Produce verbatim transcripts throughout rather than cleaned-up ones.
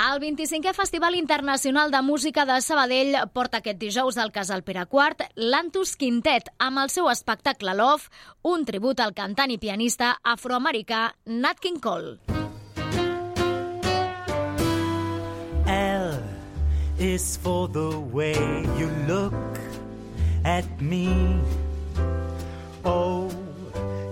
El vint-i-cinquè Festival Internacional de Música de Sabadell porta aquest dijous al Casal Pere quart l'Antus Quintet amb el seu espectacle Love, un tribut al cantant i pianista afroamericà Nat King Cole. L is for the way you look at me. O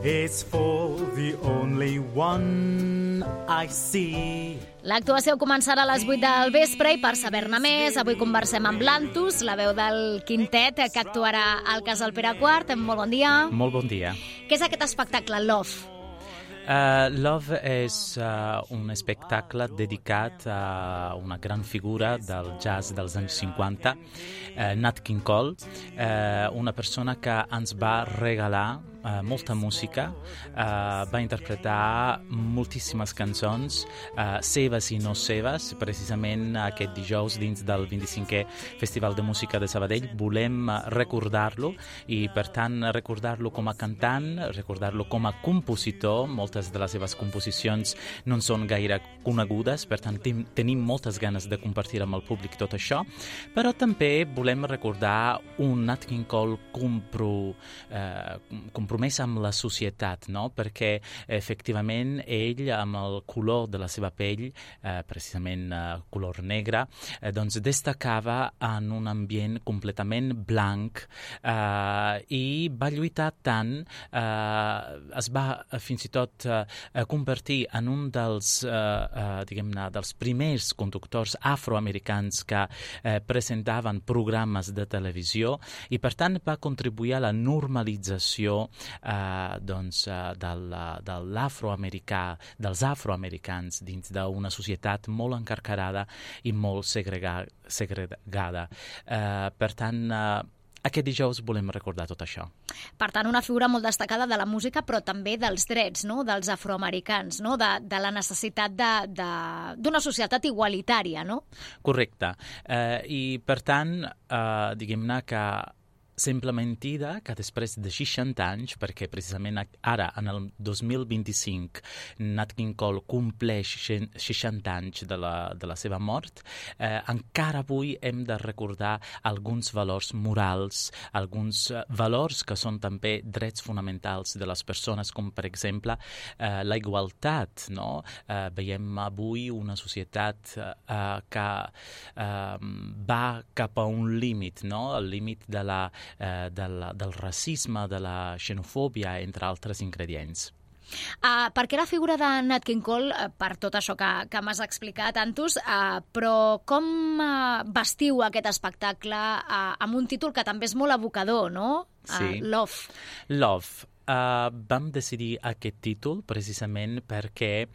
is for the only one I see. L'actuació començarà a les vuit del vespre i per saber-ne més, avui conversem amb l'Antus, la veu del quintet que actuarà al Casal Pere quart. Molt bon dia. Molt bon dia. Què és aquest espectacle, Love? Uh, Love és uh, un espectacle dedicat a una gran figura del jazz dels anys cinquanta, uh, Nat King Cole, uh, una persona que ens va regalar Uh, molta música, uh, va interpretar moltíssimes cançons, uh, seves i no seves. Precisament aquest dijous, dins del vint-i-cinquè Festival de Música de Sabadell, volem recordar-lo i, per tant, recordar-lo com a cantant, recordar-lo com a compositor. Moltes de les seves composicions no en són gaire conegudes, per tant, ten- tenim moltes ganes de compartir amb el públic tot això, però també volem recordar un Nat King Cole compro, eh, compromès amb la societat, no? Perquè efectivament ell, amb el color de la seva pell, eh, precisament eh, color negre, eh, doncs destacava en un ambient completament blanc eh, i va lluitar tant, eh, es va eh, fins i tot eh, convertir en un dels, eh, eh, diguem-ne, dels primers conductors afroamericans que eh, presentaven programes de televisió i, per tant, va contribuir a la normalització Uh, doncs, uh, del, uh, de l'afroamericà, dels afroamericans dins d'una societat molt encarcarada i molt segrega, segregada. Uh, per tant, uh, aquest dijous volem recordar tot això. Per tant, una figura molt destacada de la música, però també dels drets, no?, dels afroamericans, no?, de, de la necessitat de, de, d'una societat igualitària, no? Correcte. Uh, I, per tant, uh, diguem-ne que sembla mentida que després de seixanta anys, perquè precisament ara, en el dos mil vint-i-cinc, Nat King Cole compleix seixanta anys de la, de la seva mort, eh, encara avui hem de recordar alguns valors morals, alguns valors que són també drets fonamentals de les persones, com per exemple eh, la igualtat, no? Eh, veiem avui una societat eh, que eh, va cap a un límit, no? El límit de la Eh, del, del racisme, de la xenofòbia, entre altres ingredients. Uh, per què la figura de Nat King Cole, uh, per tot això que, que m'has explicat, Antus, uh, però com uh, vestiu aquest espectacle uh, amb un títol que també és molt evocador, no? Uh, Sí. Love. Love. Uh, vam decidir aquest títol precisament perquè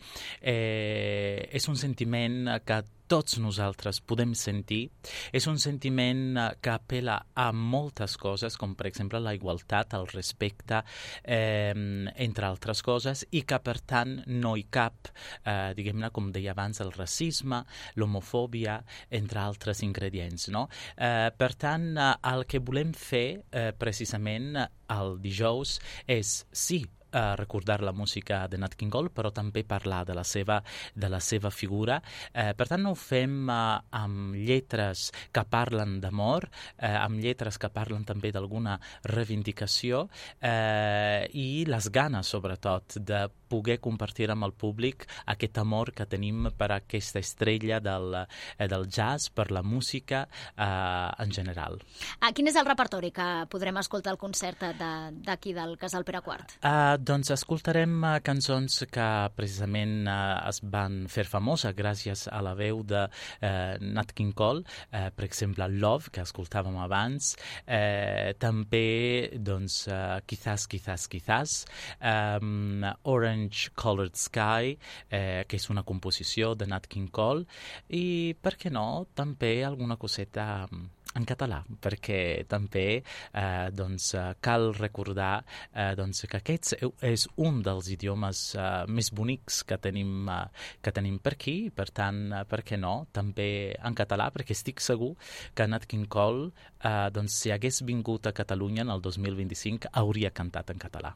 eh, és un sentiment que tots nosaltres podem sentir. És un sentiment que apel·la a moltes coses, com per exemple la igualtat, el respecte, eh, entre altres coses, i que per tant no hi cap, eh, diguem-ne, com deia abans, el racisme, l'homofòbia, entre altres ingredients, no? Eh, per tant, el que volem fer eh, precisament el dijous és, sí, Uh, recordar la música de Nat King Cole, però també parlar de la seva, de la seva figura. Uh, per tant, no ho fem uh, amb lletres que parlen d'amor, uh, amb lletres que parlen també d'alguna reivindicació uh, i les ganes, sobretot, de poder compartir amb el públic aquest amor que tenim per aquesta estrella del, uh, del jazz, per la música uh, en general. Uh, quin és el repertori que podrem escoltar al concert de, d'aquí del Casal Pere quart? Uh, Doncs escoltarem uh, cançons que precisament uh, es van fer famoses gràcies a la veu de uh, Nat King Cole, uh, per exemple Love, que escoltàvem abans, uh, també doncs, uh, Quizás, Quizás, Quizás, um, Orange Colored Sky, uh, que és una composició de Nat King Cole, i per què no, també alguna coseta um, en català, perquè també eh, doncs, cal recordar eh, doncs, que aquest és un dels idiomes eh, més bonics que tenim, eh, que tenim per aquí, per tant, eh, per què no, també en català, perquè estic segur que Nat King Cole, eh, doncs, si hagués vingut a Catalunya en el dos mil vint-i-cinc, hauria cantat en català.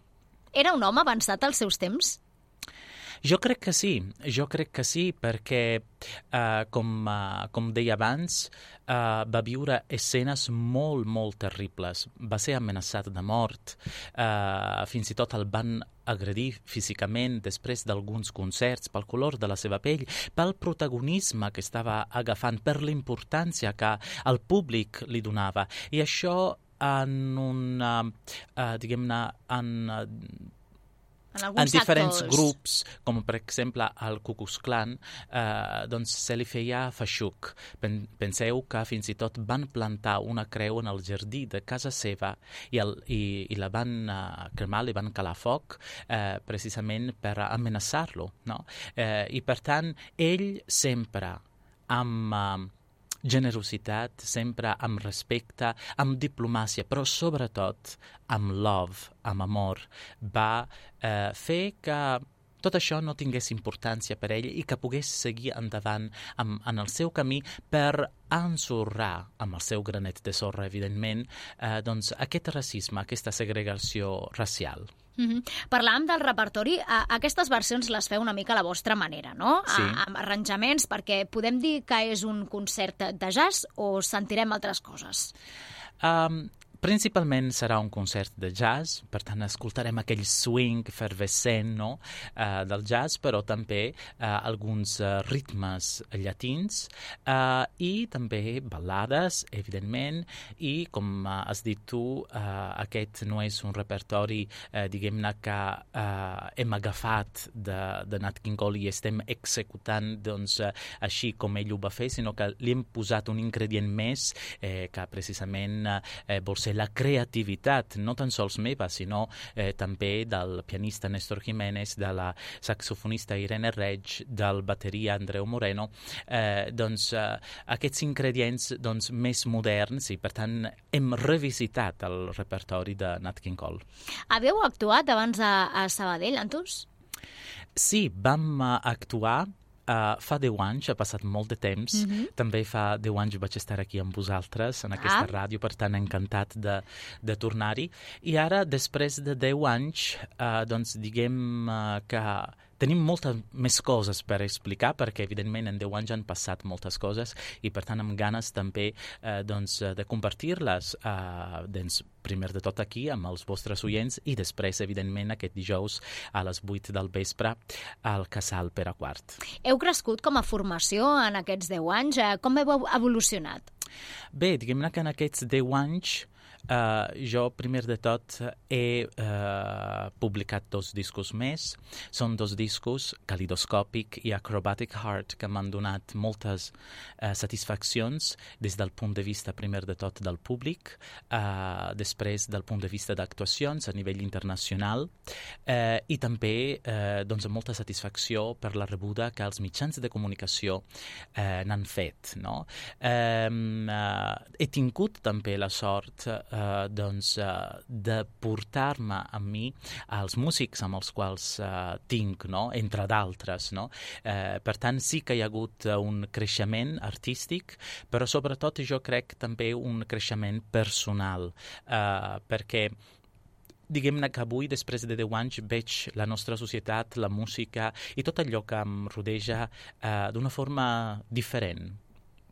Era un home avançat als seus temps? Jo crec que sí, jo crec que sí, perquè, uh, com, uh, com deia abans, uh, va viure escenes molt, molt terribles. Va ser amenaçat de mort, uh, fins i tot el van agredir físicament després d'alguns concerts pel color de la seva pell, pel protagonisme que estava agafant, per la importància que el públic li donava. I això en un, uh, diguem-ne, en... Uh, En, en diferents sectors. grups, com per exemple el Ku Klux Klan, eh, doncs se li feia feixuc. Pen penseu que fins i tot van plantar una creu en el jardí de casa seva i, el, i, i la van uh, cremar, li van calar foc, eh, precisament per amenaçar-lo, no? Eh, I per tant, ell sempre amb... Uh, generositat, sempre amb respecte, amb diplomàcia, però sobretot amb love, amb amor, va eh, fer que tot això no tingués importància per ell i que pogués seguir endavant amb, en el seu camí per ensorrar amb el seu granet de sorra, evidentment, eh, doncs aquest racisme, aquesta segregació racial. Mm-hmm. Parlàvem del repertori. A, aquestes versions les feu una mica a la vostra manera, no? Sí. A, amb arranjaments, perquè podem dir que és un concert de jazz o sentirem altres coses? Um, Principalment serà un concert de jazz, per tant escoltarem aquell swing efervescent, no? uh, del jazz, però també uh, alguns uh, ritmes llatins uh, i també ballades, evidentment, i com uh, has dit tu, uh, aquest no és un repertori, uh, diguem-ne, que uh, hem agafat de, de Nat King Cole i estem executant doncs, uh, així com ell ho va fer, sinó que li hem posat un ingredient més eh, que precisament eh, vol ser la creativitat, no tan sols meva, sinó eh, també del pianista Néstor Jiménez, de la saxofonista Irene Reig, del bateria Andreu Moreno, eh, doncs eh, aquests ingredients doncs, més moderns i per tant hem revisitat el repertori de Nat King Cole. Haveu actuat abans a, a Sabadell, Antus? Sí, vam uh, actuar Uh, fa deu anys, ha passat molt de temps. Mm-hmm. També fa deu anys vaig estar aquí amb vosaltres, en aquesta ah. ràdio, per tant, encantat de, de tornar-hi. I ara, després de deu anys, uh, doncs diguem uh, que tenim moltes més coses per explicar, perquè, evidentment, en deu anys han passat moltes coses i, per tant, amb ganes també eh, doncs, de compartir-les, eh, doncs, primer de tot aquí, amb els vostres oients, i després, evidentment, aquest dijous a les vuit del vespre al Casal Pere quart. Heu crescut com a formació en aquests deu anys? Com heu evolucionat? Bé, diguem-ne que en aquests deu anys Uh, jo, primer de tot, he uh, publicat dos discos més. Són dos discos, Calidoscòpic i Acrobatic Heart, que m'han donat moltes uh, satisfaccions des del punt de vista, primer de tot, del públic, uh, després del punt de vista d'actuacions a nivell internacional, uh, i també uh, doncs, molta satisfacció per la rebuda que els mitjans de comunicació uh, n'han fet. No? Um, uh, he tingut també la sort Uh, doncs, uh, de portar-me amb mi als músics amb els quals uh, tinc, no? Entre d'altres. No? Uh, per tant, sí que hi ha hagut uh, un creixement artístic, però sobretot jo crec també un creixement personal, uh, perquè diguem-ne que avui, després de deu anys, veig la nostra societat, la música i tot allò que em rodeja uh, d'una forma diferent.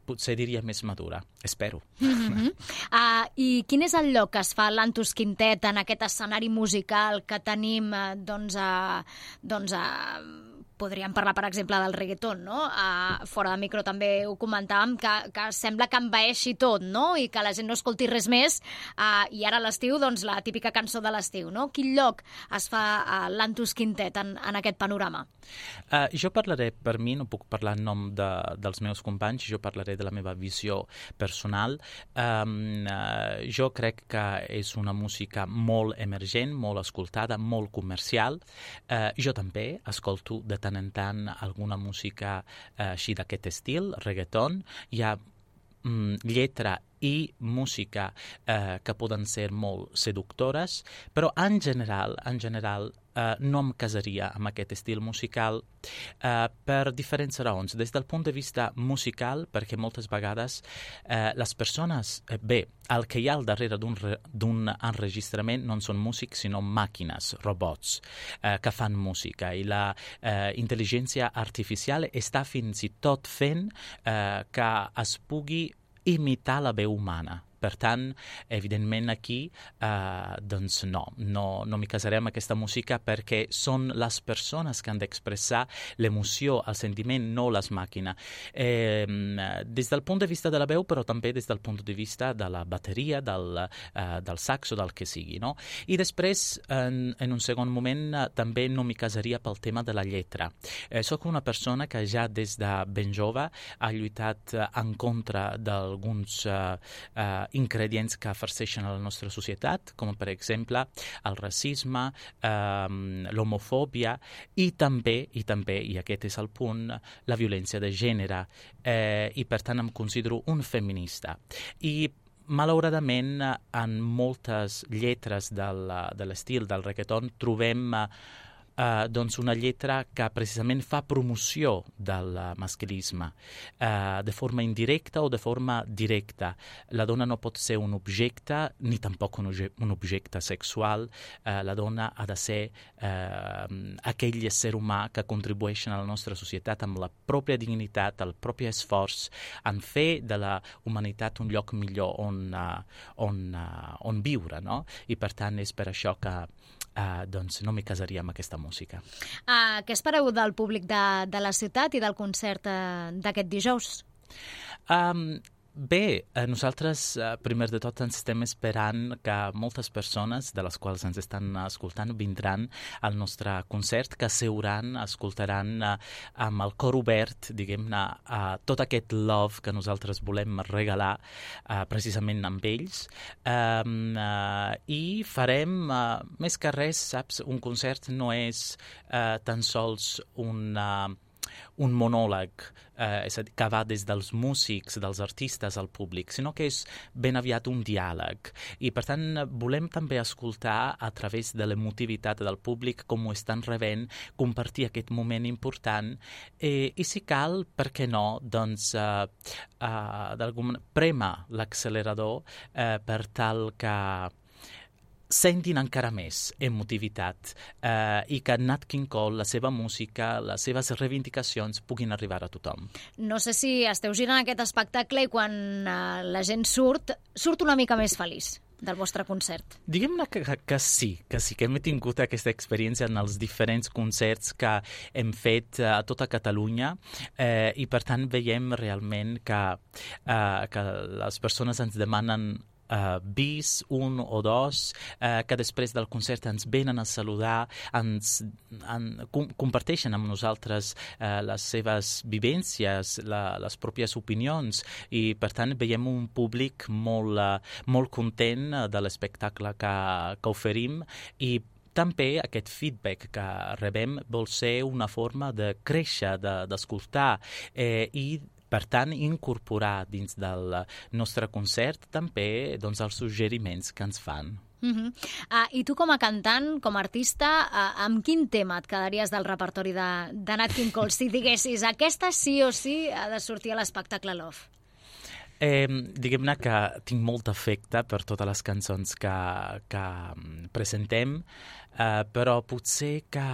Potser diria més madura, espero. Mm-hmm. uh, I quin és el lloc que es fa l'Antus Quintet en aquest escenari musical que tenim, uh, doncs, uh, doncs uh, podríem parlar, per exemple, del reggaeton, no? Uh, fora de micro també ho comentàvem, que, que sembla que envaeixi tot, no? I que la gent no escolti res més. Uh, I ara a l'estiu, doncs, la típica cançó de l'estiu, no? Quin lloc es fa uh, l'Antus Quintet en, en aquest panorama? Uh, jo parlaré, per mi, no puc parlar en nom de, dels meus companys, jo parlaré de la meva visió personal. Um, uh, jo crec que és una música molt emergent, molt escoltada, molt comercial. Uh, jo també escolto de tant en tant alguna música eh, així d'aquest estil, reggaeton. Hi ha mm, lletra i música eh, que poden ser molt seductores, però en general, en general eh, no em casaria amb aquest estil musical eh, per diferents raons. Des del punt de vista musical, perquè moltes vegades eh, les persones, eh, bé, el que hi ha al darrere d'un, re, d'un enregistrament no són músics, sinó màquines, robots, eh, que fan música. I la eh, intel·ligència artificial està fins i tot fent eh, que es pugui imitar la veu humana. Per tant, evidentment aquí, eh, doncs no, no, no m'hi casaré amb aquesta música perquè són les persones que han d'expressar l'emoció, el sentiment, no les màquines. Eh, des del punt de vista de la veu, però també des del punt de vista de la bateria, del, eh, del saxo, del que sigui, no? I després, en, en un segon moment, eh, també no m'hi casaria pel tema de la lletra. Eh, soc una persona que ja des de ben jove ha lluitat eh, en contra d'alguns eh, eh, ingredients que farceixen a la nostra societat, com per exemple el racisme, eh, l'homofòbia i també, i també, i aquest és el punt, la violència de gènere. Eh, I per tant em considero un feminista. I malauradament en moltes lletres del, de l'estil del reggaeton trobem Uh, doncs una lletra que precisament fa promoció del uh, masclisme uh, de forma indirecta o de forma directa. La dona no pot ser un objecte ni tampoc un, un objecte sexual. Uh, la dona ha de ser uh, aquell ésser humà que contribueix a la nostra societat amb la pròpia dignitat, el propi esforç en fer de la humanitat un lloc millor on, uh, on, uh, on viure, no? I per tant és per això que Uh, doncs no m'hi casaria amb aquesta música. Uh, què espereu del públic de, de la ciutat i del concert uh, d'aquest dijous? Um, Bé, eh, nosaltres, eh, primer de tot, ens estem esperant que moltes persones, de les quals ens estan escoltant, vindran al nostre concert, que seuran, escoltaran eh, amb el cor obert, diguem-ne, eh, tot aquest love que nosaltres volem regalar eh, precisament amb ells. Eh, eh, I farem, eh, més que res, saps, un concert no és eh, tan sols un... Eh, un monòleg eh, és a dir, que va des dels músics, dels artistes al públic, sinó que és ben aviat un diàleg. I, per tant, volem també escoltar a través de l'emotivitat del públic com ho estan rebent, compartir aquest moment important eh, i, si cal, per què no, doncs, eh, eh, d'algun prema l'accelerador eh, per tal que sentin encara més emotivitat eh, i que Nat King Cole, la seva música, les seves reivindicacions puguin arribar a tothom. No sé si esteu girant aquest espectacle i quan eh, la gent surt, surt una mica més feliç del vostre concert. Diguem-ne que, que sí, que sí, que hem tingut aquesta experiència en els diferents concerts que hem fet a tota Catalunya eh, i per tant veiem realment que, eh, que les persones ens demanen Uh, bis, un o dos, uh, que després del concert ens venen a saludar, ens en, com, comparteixen amb nosaltres uh, les seves vivències, la, les pròpies opinions i, per tant, veiem un públic molt, uh, molt content uh, de l'espectacle que, que oferim i també aquest feedback que rebem vol ser una forma de créixer, de, d'escoltar eh, i per tant, incorporar dins del nostre concert també doncs, els suggeriments que ens fan. Uh-huh. Uh, I tu com a cantant, com a artista, uh, amb quin tema et quedaries del repertori de, de Nat King Cole? Si diguessis, aquesta sí o sí ha de sortir a l'espectacle Love. Eh, diguem-ne que tinc molt afecte per totes les cançons que, que presentem, eh, però potser que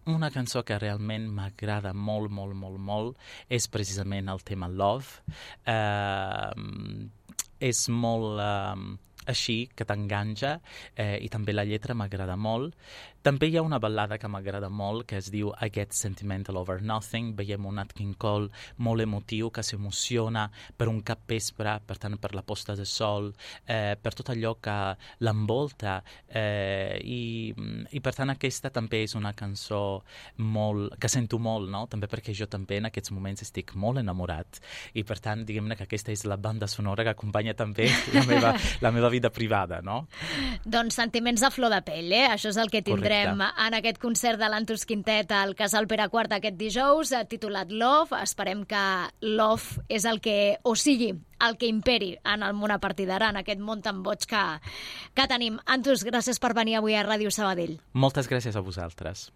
una cançó que realment m'agrada molt, molt, molt, molt és precisament el tema Love. Eh, és molt eh, així, que t'enganxa, eh, i també la lletra m'agrada molt. També hi ha una ballada que m'agrada molt, que es diu I Get Sentimental Over Nothing. Veiem un Nat King Cole molt emotiu, que s'emociona per un capvespre, per tant, per la posta de sol, eh, per tot allò que l'envolta. Eh, i, I, per tant, aquesta també és una cançó molt, que sento molt, no? També perquè jo també en aquests moments estic molt enamorat. I, per tant, diguem-ne que aquesta és la banda sonora que acompanya també la meva, la meva vida vida privada, no? Doncs sentiments a flor de pell, eh? Això és el que tindrem Correcte. en aquest concert de l'Antus Quintet al Casal Pere quart aquest dijous, titulat Love. Esperem que Love és el que, o sigui, el que imperi en el món a partir d'ara, en aquest món tan boig que, que tenim. Antus, gràcies per venir avui a Ràdio Sabadell. Moltes gràcies a vosaltres.